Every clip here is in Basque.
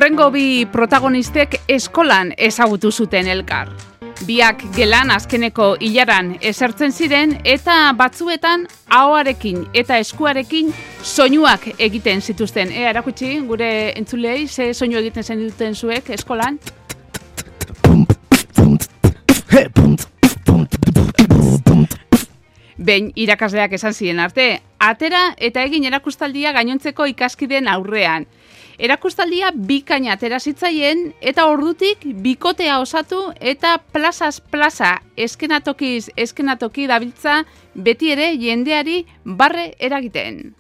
Urrengo bi protagonistek eskolan ezagutu zuten elkar. Biak gelan azkeneko ilaran esertzen ziren eta batzuetan ahoarekin eta eskuarekin soinuak egiten zituzten. Erakutsi gure entzulei ze soinu egiten zen duten zuek eskolan? Behin irakasleak esan ziren arte, atera eta egin erakustaldia gainontzeko ikaskideen aurrean. Erakustaldia bikaina atera zitzaien eta ordutik bikotea osatu eta plazaz plaza eskenatokiz eskenatoki dabiltza beti ere jendeari barre eragiten.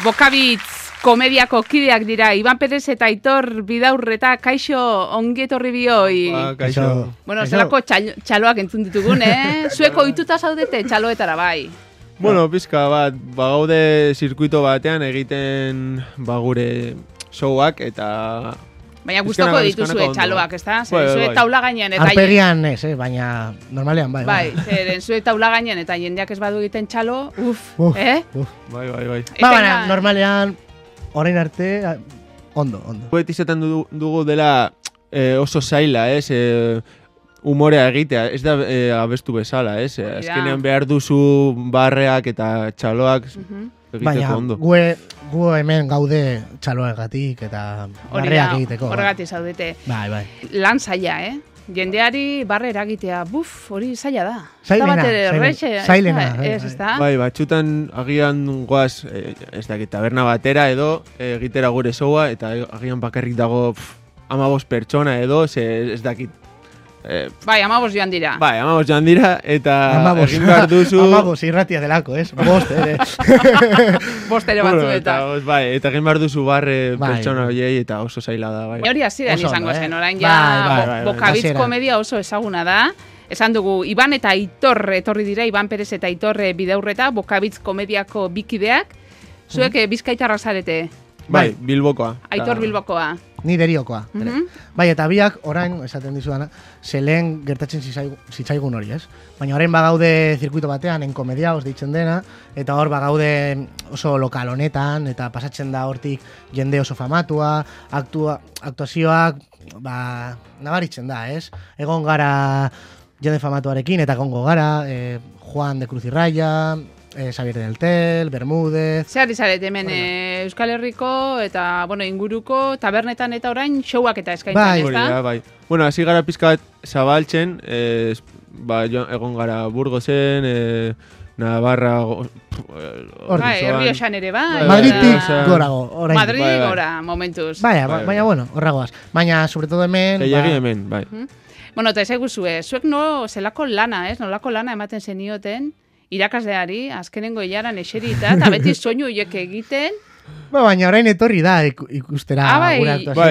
Bokabitz komediako kideak dira Iban Perez eta Aitor Bidaurreta. Kaixo, ongi etorri bioi. Kaixo. Bueno, zelako txaloak entzun ditugun, Zueko ohituta zaudete txaloetara bai. Bueno, pizka bat, gaude zirkuito batean egiten gure showak eta... Baina gustoko dituzue txaloak, ezta? Zue taula gainean eta... Arpegian ez, baina normalean bai. Bai, zeren zue taula gainean eta jendeak ez badu egiten txalo, Bai. Baina normalean, orain arte, ondo. Beti izaten dugu dela oso zaila, humorea egitea, ez da abestu bezala, azkenean behar duzu barreak eta txaloak egiteko ondo. Gu hemen gaude txaloagatik eta barreak egiteko. Horregatik zaudete. Bai. Lan zaila, jendeari barre eragitea, hori zaila da. Zailena. Bai, batxutan agian goaz, ez dakit, taberna batera edo egitera gure showa eta agian bakarrik dago 15 pertsona edo, ez dakit. Bai, 15 joan dira. Bai, 15 joan dira eta egin behar duzu... 15 irratia delako, Bost ere. Bost ere batzuetan. Eta egin behar duzu barre pertsona horiei eta oso zaila da. Hori hasieran izango zen, orain ja Bokabitz komedia oso ezaguna da. Esan dugu, Iban eta Aitor etorri dira, Iban Perez eta Aitor Bidaurreta, Bokabitz komediako bikideak. Zuek bizkaitarrak zarete? Bai, Bilbokoa. Aitor Bilbokoa. Ni Deriokoa. Bai, eta biak orain, esaten dizudana, zelen gertatzen zitzaigun hori, Baina orain bagaude zirkuito batean, enkomediaos deitzen dena, eta hor bagaude oso lokal honetan, eta pasatzen da hortik jende oso famatua, aktuazioak, nabaritzen da, Egon gara jende famatuarekin, eta egongo gara, Juan de Cruz y Raya, Xavier del Tel, Bermúdez... Zer izarete hemen Euskal Herriko eta inguruko tabernetan eta orain showak eta eskaintzen, ez da? Bai. Bueno, hasi gara pizka bat zabaltzen, egon gara Burgosen, Navarra... Errioxan ere, bai. Madridik gorago. Madridik gora, momentuz. Baina, horragoaz. Baina, sobre todo hemen... Gehiagi hemen, bai. Bueno, eta ezaigu zuek zelako lana, nolako lana ematen zenioten, irakasleari, azkenengo hilaran eserita, eta beti soinu horiek egiten. Baina orain etorri da ikustera gure aktuazioa.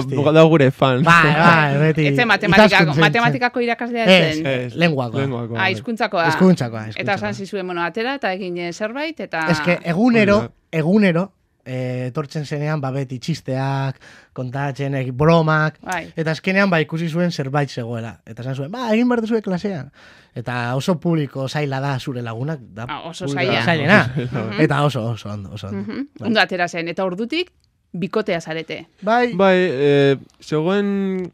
Bai, da gure fan. Bai, beti. Ez matematikako irakaslea zen? Lenguakoa. Hizkuntzakoa. Eta esan zizuen, atera eta egin zerbait, eta... Ez que egunero, etortzen zenean beti txisteak, kontatzen, bromak, eta azkenean ikusi zuen zerbait zegoela. Eta esan zuen, egin behar duzue klasean. Eta oso publiko zaila da zure lagunak. Oso zaila. Zailena. Eta oso ondo. Ondo atera zen, eta ordutik bikotea zarete. Bai, zegoen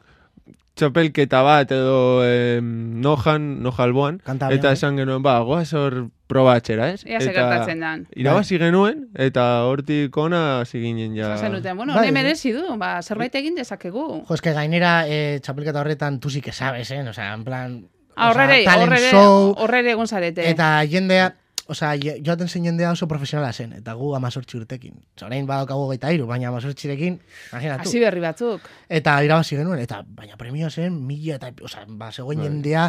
txapelketa bat edo Nojalboan, eta esan genuen, goaz hor probatxera, Ea segertatzen dan. Irabazi genuen, eta hortik ona ziginen ja... Zasen duten, hone merezi du, zerbait egin dezakegu. Jo, eske gainera txapelketa horretan tu sí que sabes, osea, en plan... Horrere egon zarete. Eta jendea... joaten zen jendea oso profesionala zen, eta gu 18 urtekin. Orain badaukagu 23, baina 18rekin, imaginatu. Hasi berri batzuk. Eta irabazi genuen, baina premio zen 1000 eta, zegoen jendea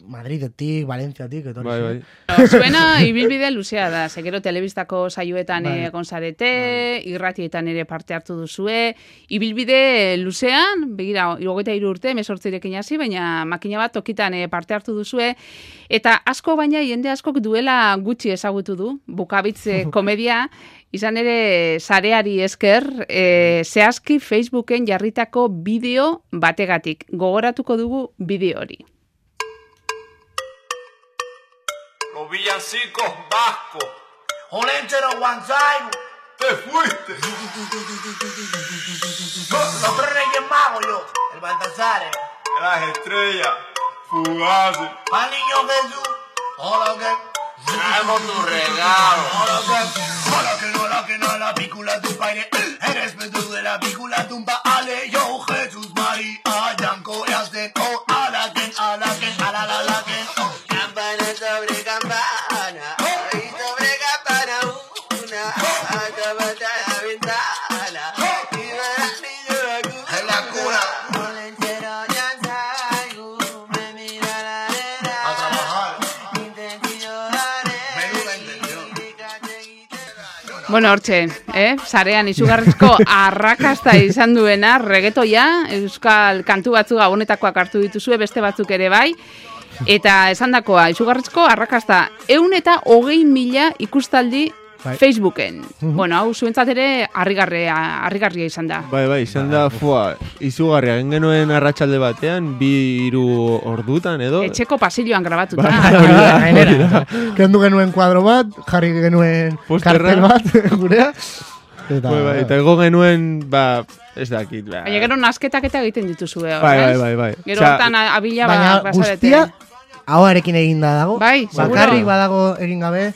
Madridetik, Valentziatik, etorri zen. Zuena ibilbide luzea da, gero telebistako saioetan egon zarete, irratietan ere parte hartu duzue, ibilbide luzean, begira, 23 urte, 18rekin hasi, baina makina bat tokitan parte hartu duzue, eta asko baina jende askok duela gutxi ezagutu du, Bokabitz komedia, izan ere sareari esker, zehazki Facebooken jarritako bideo bategatik. Gogoratuko dugu bideo hori. Los villancicos vascos, Olenchero Guanzaigo. Te fuiste. Los tres reyes magos yo. El Baltasar. Las estrellas. Fugaces. Al niño Jesús. Hola que. Traemos tu regalo. Hola que no, la pícula tu padre. Eres Pedro de la pícula tumba. Ale, yo, Jesús, María, Yanko, Yasten, oh, Alaken, Alalaken, oh. Campana sobre campana. Y sobre campana una. Acabate a la ventana. Y va la niña la cuna. En la cuna. Olenchero ya salgo. Me mira la arena. A trabajar. Bueno, hortxe, sarean izugarrizko arrakasta izan duena, reggaetoia, euskal kantu batzuk gabonetakoak hartu dituzue, beste batzuk ere bai, eta esandakoa izugarrizko arrakasta 120.000 ikustaldi Facebooken. Bueno, hau zuentzat ere harrigarria izan da. Bai, izan da, izugarria, genuen arratsalde batean, 2-3 ordutan edo. Etxeko pasilloan grabatuta. Kendu genuen kuadro bat, jarri genuen kartel bat, gurea. Eta ego genuen, ez dakit. Baina gero nasketak eta egiten dituzue. Bai. Gero hortan abila baina guztia, ahoarekin eginda dago. Bai, bakarrik badago egin gabe.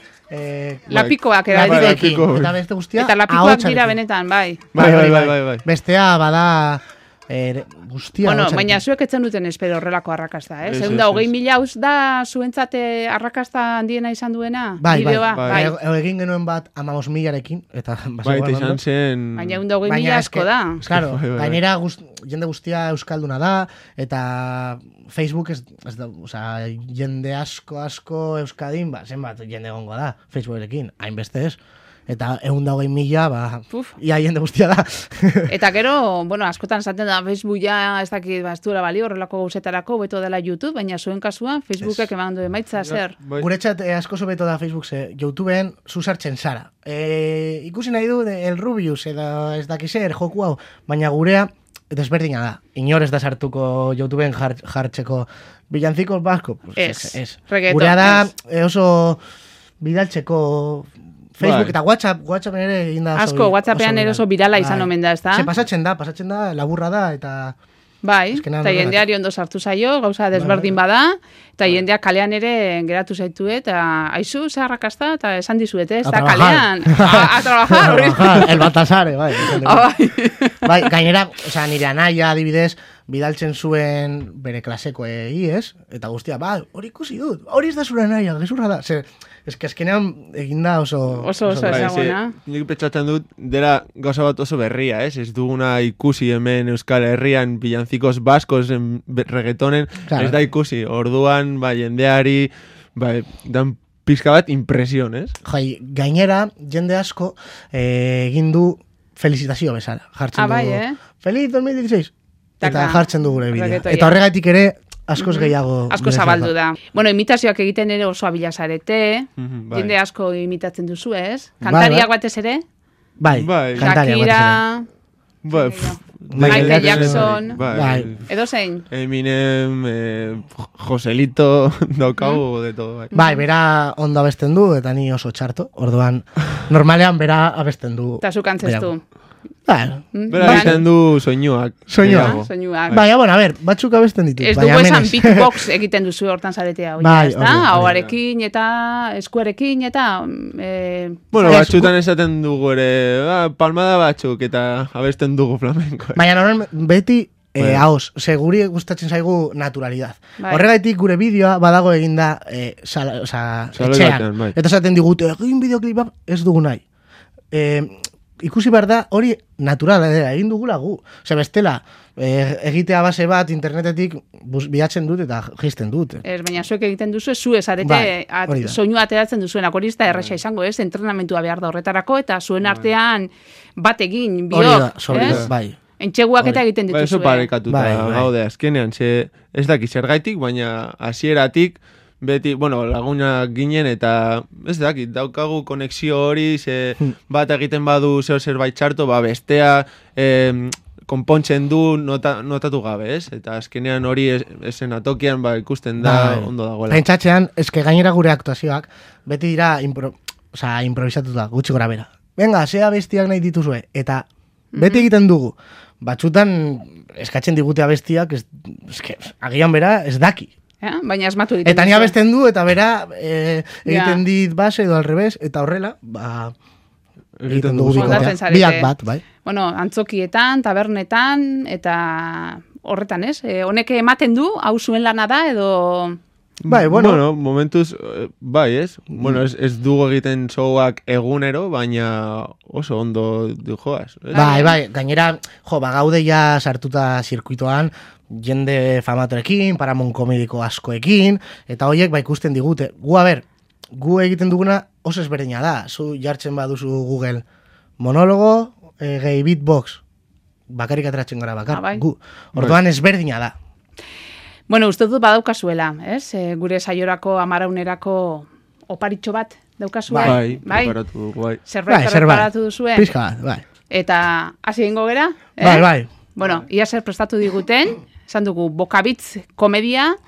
Lapikoak edatik. Eta beste guztia. Eta lapikoak dira benetan, bai. Bai. Bestea bada guztia. Bueno, baina zuek etzen duten espero horrelako arrakasta, eh? 120.000 hauz da zuentzate arrakasta handiena izan duena? Bai. Egin genuen bat 15.000-arekin. Bai, eta izan zen... Baina 120.000 asko da. Claro, gainera jende guztia euskalduna da, eta Facebook ez da, jende asko euskadin, zenbat jende gongo da, Facebookekin, hainbeste ez. Eta 120.000, ia jende guztia da. Eta gero, bueno, askotan esaten da, Facebook ja ez dakit bastuela balio, horrelako gauzetarako, beto dela YouTube, baina zuen kasua, Facebookek eman du emaitza, zer? Guretzat asko beto da Facebook, YouTubeen zuzartzen zara. Ikusi nahi du, el Rubius, edo ez dakizer, joku hau, baina gurea, desberdina da. Inor ez da sartuko YouTubeen jartzeko bilancikos basko. Ez. Gurea da oso bidaltzeko Facebook eta WhatsApp ere egin da. Asko, WhatsAppean ere oso birala izan omen da, ez da? Pasatzen da, laburra da, eta... Bai, eta jendeari ondo sartu zaio, gauza desberdin bada, eta jendeak kalean ere geratu zaitu, eta aizu, ze arrakasta, eta esan dizuete, ez da kalean. A trabajar. El Baltasar, bai. Bai, gainera, nire anaia adibidez, bidaltzen zuen bere klaseko ez? Eta guztia, hori ikusi dut, hori ez da zure anaia, gezurra da. Eskenean eginda oso ezaguna. Nik petxatzen dut, dela gauza bat oso berria, ez? Ez duguna ikusi hemen Euskal Herrian bilancikos baskos reggaetonen, ez da ikusi. Orduan, jendeari, dan pizka bat impresion, ez? Gainera, jende asko egin du felicitazio bezala. Jartzen du, Feliz 2016! Eta jartzen du gure bidea. Eta horregatik ere, askoz gehiago. Asko zabaldu da. Bueno, imitazioak egiten ere oso abila zarete. Jende asko imitatzen duzu, ez? Kantariak batez ere? Bai, kantariak batez ere. Michael Jackson. Edo zein? Eminem, Joselito, daukagu de todo. Bai, bera ondo abesten du, eta ni oso txarto. Orduan, normalean bera abesten du. Eta zu kantzestu. Bera egiten du soinuak. Baina, bueno, a ver, batzuk abesten ditu. Ez dugu esan beatbox egiten duzu hortan zaretea. Hauarekin eta eskuarekin eta... Bueno, batzutan esaten dugu ere, palmada batzuk eta abesten dugu flamenko. Baina, beti... Haos, seguri gustatzen zaigu naturalidad. Horregaitik gure bideoa badago eginda etxean. Eta esaten digute, egin bideoklip ez dugu nahi. Ikusi behar da, hori naturala egin dugula gu. Bestela, egitea base bat internetetik bilatzen dut eta jisten dut. Baina zuek egiten duzu, zu esarete soinu ateratzen duzuenak, hori ez da erraxa izango, ez? Entrenamentua behar da horretarako, eta zuen artean bat egin biok. Bai. Entxeguak eta egiten dituzue. Eso parekatuta gaude azkenean, ez daki zergaitik, baina hasieratik beti, lagunak ginen eta ez dakit, daukagu konexio hori, bat egiten badu zerbait txarto, bestea konpontzen du notatu gabe, ez? Eta azkenean hori esen atokian ikusten da ondo dagoela. Pentsatzean, eske gainera gure aktuazioak, beti dira osea, improvisatuta, gutxi gora bera. Venga, zea bestiak nahi dituzue. Eta beti egiten dugu. Batzutan eskatzen digute abestiak, agian bera ez daki. Baina asmatu egiten. Eta ni abesten du, eta bera egiten dit base edo al revés, eta horrela, egiten dugu bikotea. Biak bat, bai. Bueno, antzokietan, tabernetan, eta horretan, ez? Honek ematen du, hau zuen lana da, edo... Bai, bueno, momentuz, bai, ez? Bueno, ez dugu egiten showak egunero, baina oso ondo joaz. Bai, gainera, bagaude ja sartuta zirkuitoan, jende famatorekin, Paramount komediko askoekin, eta horiek ikusten digute. Gu egiten duguna oso ezberdina da. Zu jartzen baduzu Google monologo, gehi beatbox, bakarik ateratzen gara bakar. Orduan ezberdina da. Bueno, uste dut badaukazuela, ez? Gure saiorako, amaraunerako oparitxo bat daukazue. Bai, preparatu dugu, bai. Zerbait preparatu duzue. Pizka bat, bai. Eta hasi egingo gera? Bai. Bueno, ia zer prestatu diguten, esan dugu Bokabitz komedia,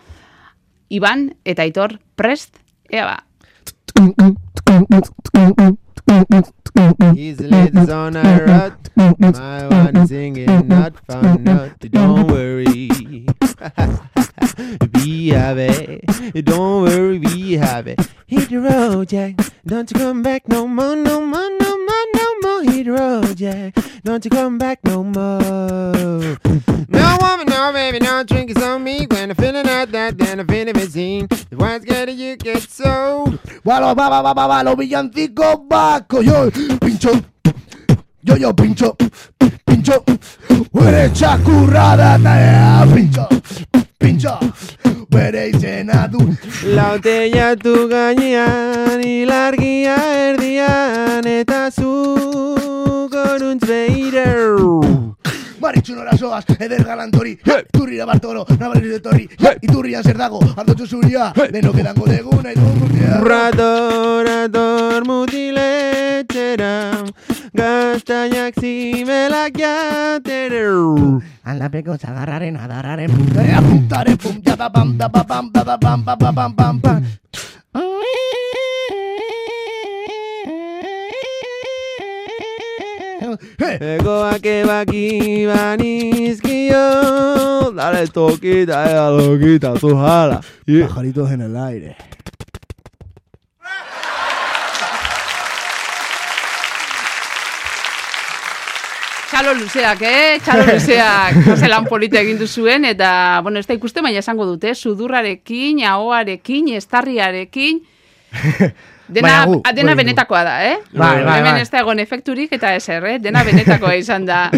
Iban eta Aitor prest, ea ba. He's the latest on a rut. My one is singing, not found out. Don't worry. Be happy. Don't worry, be happy. Hit the road, Jack. Don't you come back no more, no more, no more, no more. Hit the road, Jack. Don't you come back no more. No woman, no baby, no drink is on me. When I'm feeling like that, then I'm feeling benzene. The one's getting you get sold. Los villancicos vascos, yo pincho, pincho, eres chacurrada, pincho, eres llenado. La botella tu gainean, ilargia erdian, eta zu goruntz Maritxunora soaz, eder galantori, iturrira Bartolo, nabalez de torri, iturrian zer dago, aldotxo zuria, denok edango dugu nahi dugu guztia. Rator mutiletxera, gaztainak zimelak jatera. Aldapeko zagarraren adarraren puntaren punta da pam da pam da pam pam pam pam pam. Egoak ebaki banizkio, dale toquita, loquita, tu jala. Pajaritos en el aire. Txalo luzeak, Txalo luzeak. Zelan polita egin duzuen, eta, bueno, ez da ikuste, baina esango dute, sudurrarekin, ahoarekin, estarriarekin, dena benetakoa da, Hemen ez da egon efekturik eta ezer, dena benetakoa izan da.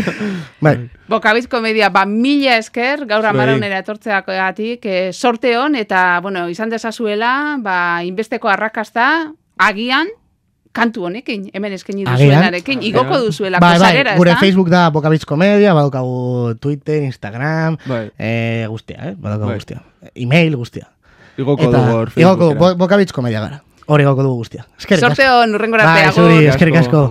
Bokabitz komedia, 1000 esker, gaur amaraunera etortzeagatik, sorte hon, eta, bueno, izan dezazuela, inbesteko arrakasta, agian, kantu honekin, hemen eskaini duzuenarekin, igoko duzuelako sarera, ez da? Gure Facebook da Bokabitz komedia, badukagu Twitter, Instagram, guztia, badukagu guztia. Email guztia. Igoko dugu hor. Igoko dugu, Bokabitz komedia gara. Hori gauko dugu guztia. Sorte hon, urrengora arte. Eskerrik asko.